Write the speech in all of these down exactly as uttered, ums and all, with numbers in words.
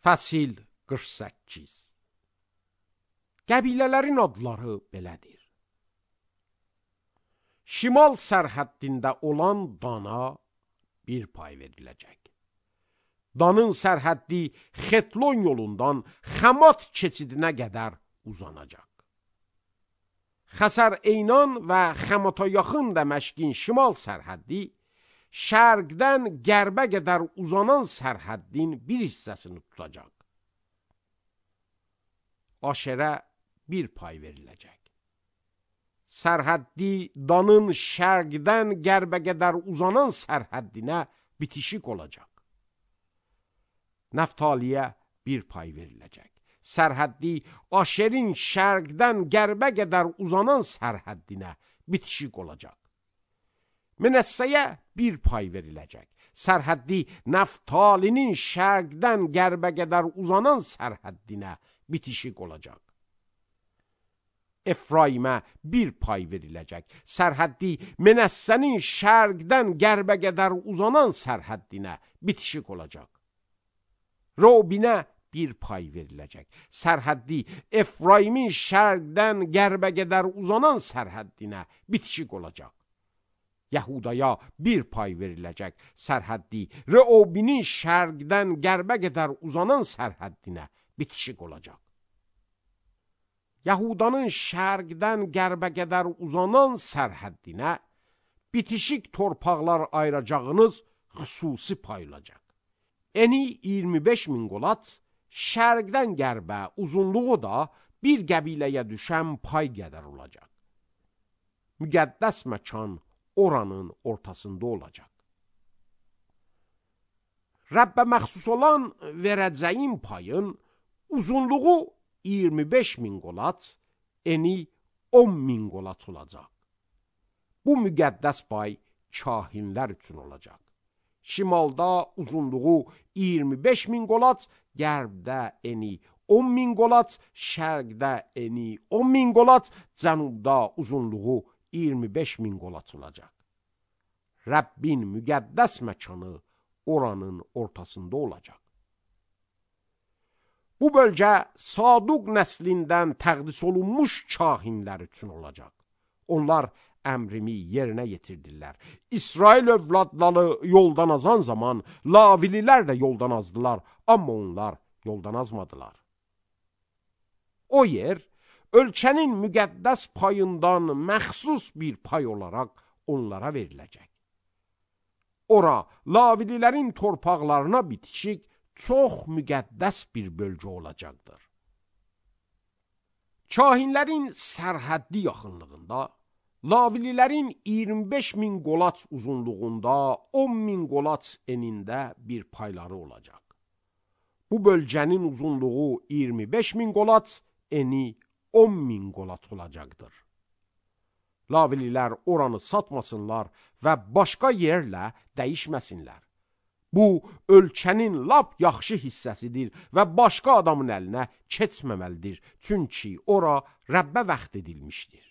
Fəsil qırx səkkiz. Qəbilələrin adları belədir. Şimal sərhəddində olan Dana bir pay veriləcək. Danın sərhəddi Xetlon yolundan Xəmat keçidinə qədər uzanacaq. Xəsər Eynan və Xəmata yaxın Dəməşqin şimal sərhəddi, şərqdən qərbə qədər uzanan sərhəddin bir hissəsini tutacaq. Aşerə bir pay veriləcək. Sərhəddi Danın şərqdən qərbə qədər uzanan sərhəddinə bitişik olacaq. Nəftaliyə bir pay veriləcək. Sərhəddi Aşerin şərqdən qərbə qədər uzanan sərhəddinə bitişik olacaq. Menəssəyə bir pay veriləcək. Sərhəddi Nəftalinin şərqdən qərbə qədər uzanan sərhəddinə bitişik olacaq. Efraimə bir pay veriləcək. Sərhəddi Menəssənin şərqdən qərbə qədər uzanan sərhəddinə bitişik olacaq. Robinə bir pay veriləcək. Sərhəddi Efraimin şərqdən qərbə qədər uzanan sərhəddinə bitişik olacaq. Yəhudaya bir pay veriləcək. Sərhəddi Reobinin şərqdən qərbə qədər uzanan sərhəddinə bitişik olacaq. Yahudanın şərqdən qərbə qədər uzanan sərhəddinə bitişik torpaqlar ayıracağınız xüsusi payılacaq. Eni iyirmi beş min qolat, şərqdən qərbə uzunluğu da bir qəbiləyə düşən pay qədər olacaq. Müqəddəs məkan oranın ortasında olacaq. Rəbbə məxsus olan verəcəyin payın uzunluğu iyirmi beş min qolat, eni on min qolat olacaq. Bu müqəddəs pay kahinlər üçün olacaq. Şimalda uzunluğu iyirmi beş min qolat, qərbdə eni on min qolat, şərqdə eni on min qolat, cənubda uzunluğu iyirmi beş min qolat olacaq. Rəbbin müqəddəs məkanı oranın ortasında olacaq. Bu bölgə Saduq nəslindən təqdis olunmuş kahinlər üçün olacaq. Onlar əmrimi yerinə yetirdirlər. İsrail övladları yoldan azan zaman Lavililər də yoldan azdılar, amma onlar yoldan azmadılar. O yer, ölkənin müqəddəs payından məxsus bir pay olaraq onlara veriləcək. Ora, Lavililərin torpaqlarına bitişik çox müqəddəs bir bölgə olacaqdır. Kahinlərin sərhəddi yaxınlığında, Lavililərin iyirmi beş min qolat uzunluğunda, on min qolat enində bir payları olacaq. Bu bölgənin uzunluğu iyirmi beş min qolat, eni on min qolat olacaqdır. Lavililər oranı satmasınlar və başqa yerlə dəyişməsinlər. Bu, ölkənin lap yaxşı hissəsidir və başqa adamın əlinə keçməməlidir, çünki ora Rəbbə vəxt edilmişdir.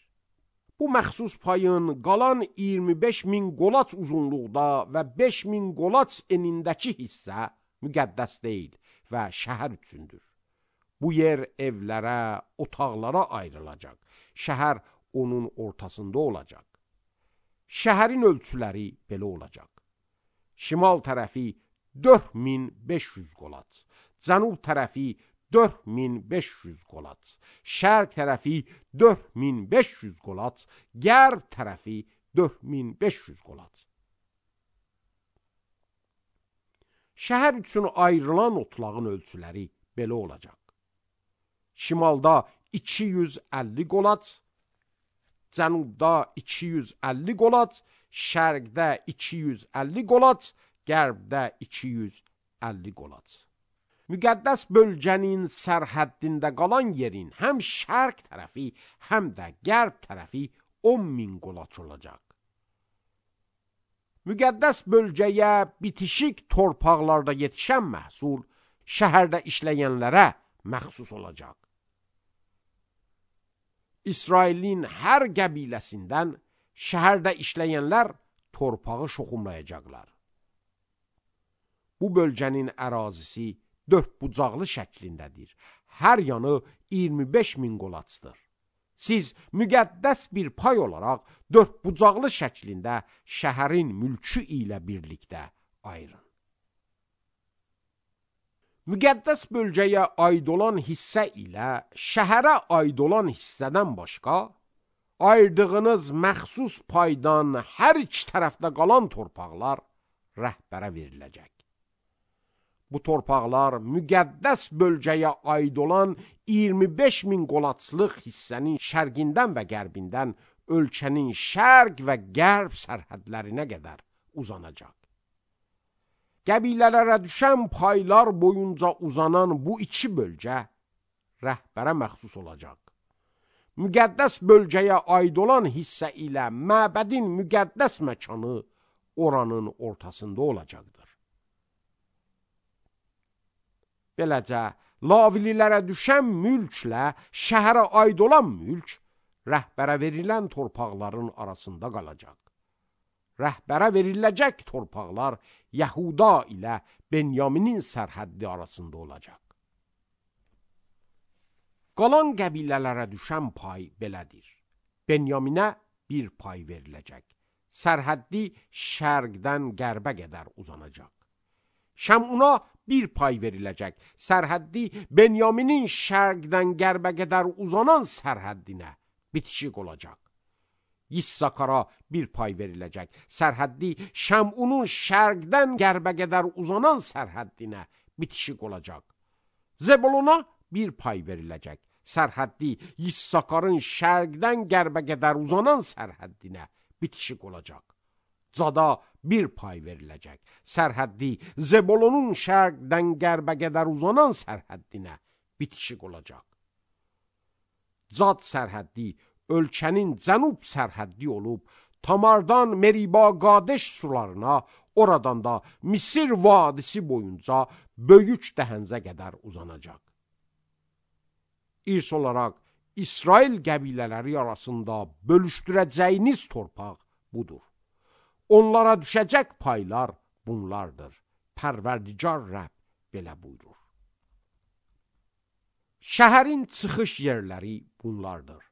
Bu məxsus payın qalan iyirmi beş min qolat uzunluqda və beş min qolat enindəki hissə müqəddəs deyil və şəhər üçündür. Bu yer evlərə, otaqlara ayrılacaq. Şəhər onun ortasında olacaq. Şəhərin ölçüləri belə olacaq. Şimal tərəfi dörd min beş yüz qolat, cənub tərəfi dörd min beş yüz qolat, şərq tərəfi dörd min beş yüz qolat, qərb tərəfi dörd min beş yüz qolat. Şəhər üçün ayrılan otlağın ölçüləri belə olacaq. Şimalda iki yüz əlli qolat, cənubda iki yüz əlli qolat, şərqdə iki yüz əlli qolat, qərbdə iki yüz əlli qolat. Müqəddəs bölgənin sərhəddində qalan yerin həm şərq tərəfi, həm də qərb tərəfi on min qolat olacaq. Müqəddəs bölgəyə bitişik torpaqlarda yetişən məhsul şəhərdə işləyənlərə məxsus olacaq. İsrailin hər qəbiləsindən şəhərdə işləyənlər torpağı şoxumlayacaqlar. Bu bölgənin ərazisi dördbucaqlı şəklindədir. Hər yanı iyirmi beş min qolaçdır. Siz müqəddəs bir pay olaraq dördbucaqlı şəklində şəhərin mülkü ilə birlikdə ayırın. Müqəddəs bölgəyə aid olan hissə ilə şəhərə aid olan hissədən başqa, ayırdığınız məxsus paydan hər iki tərəfdə qalan torpaqlar rəhbərə veriləcək. Bu torpaqlar müqəddəs bölgəyə aid olan iyirmi beş min qolaçlıq hissənin şərqindən və qərbindən ölkənin şərq və qərb sərhədlərinə qədər uzanacaq. Qəbilələrə düşən paylar boyunca uzanan bu iki bölgə rəhbərə məxsus olacaq. Müqəddəs bölgəyə aid olan hissə ilə məbədin müqəddəs məkanı oranın ortasında olacaqdır. Beləcə, Lavililərə düşən mülklə şəhərə aid olan mülk rəhbərə verilən torpaqların arasında qalacaq. Rəhbərə veriləcək torpaqlar Yəhuda ilə Benyaminin sərhəddi arasında olacaq. Qalan qəbilələrə düşən pay belədir. Benyaminə bir pay veriləcək. Sərhəddi şərqdən qərbə qədər uzanacaq. Şəmuna bir pay veriləcək. Sərhəddi Benyaminin şərqdən qərbə qədər uzanan sərhəddinə bitişik olacaq. Yissakara bir pay veriləcək. Sərhəddi Şəmunun şərqdən qərbə qədər uzanan sərhəddinə bitişik olacaq. Zebuluna bir pay veriləcək. Sərhəddi Yissakarın şərqdən qərbə qədər uzanan sərhəddinə bitişik olacaq. Cada bir pay veriləcək. Sərhəddi Zebulunun şərqdən qərbə qədər uzanan sərhəddinə bitişik olacaq. Cad sərhəddi ölkənin cənub sərhəddi olub, Tamardan Meriba Qadeş sularına, oradan da Misir vadisi boyunca böyük dəhənzə qədər uzanacaq. İrs olaraq İsrail qəbilələri arasında bölüşdürəcəyiniz torpaq budur. Onlara düşəcək paylar bunlardır. Pərverdigar Rəbb belə buyurur. Şəhərin çıxış yerləri bunlardır.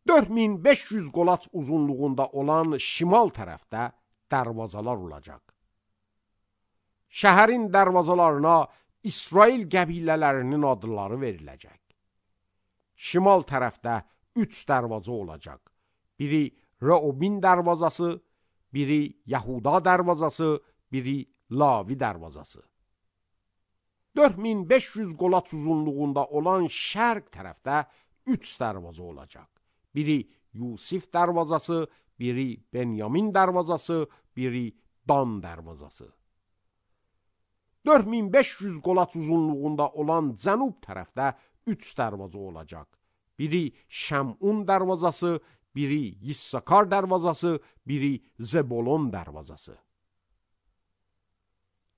dörd min beş yüz qolaç uzunluğunda olan şimal tərəfdə dərvazalar olacaq. Şəhərin dərvazalarına İsrail qəbilələrinin adları veriləcək. Şimal tərəfdə üç dərvaza olacaq. Biri Reubin dərvazası, biri Yahuda dərvazası, biri Lavi dərvazası. dörd min beş yüz qolaç uzunluğunda olan şərq tərəfdə üç dərvaza olacaq. Biri Yusif dərvazası, biri Benyamin dərvazası, biri Dan dərvazası. dörd min beş yüz qolaç uzunluğunda olan cənub tərəfdə üç dərvaza olacaq. Biri Şəmun dərvazası, biri Yissakar dərvazası, biri Zebulon dərvazası.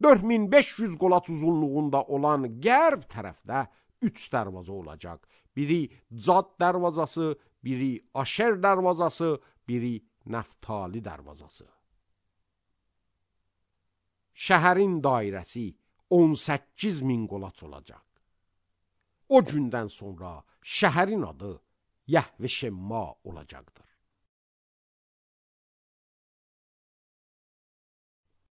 dörd min beş yüz qolaç uzunluğunda olan qərb tərəfdə üç dərvaza olacaq. Biri Cad dərvazası, biri Aşer dərvazası, biri Nəftali dərvazası. Şəhərin dairəsi on səkkiz min qolaç olacaq. O gündən sonra şəhərin adı Yəhve Şemma olacaqdır.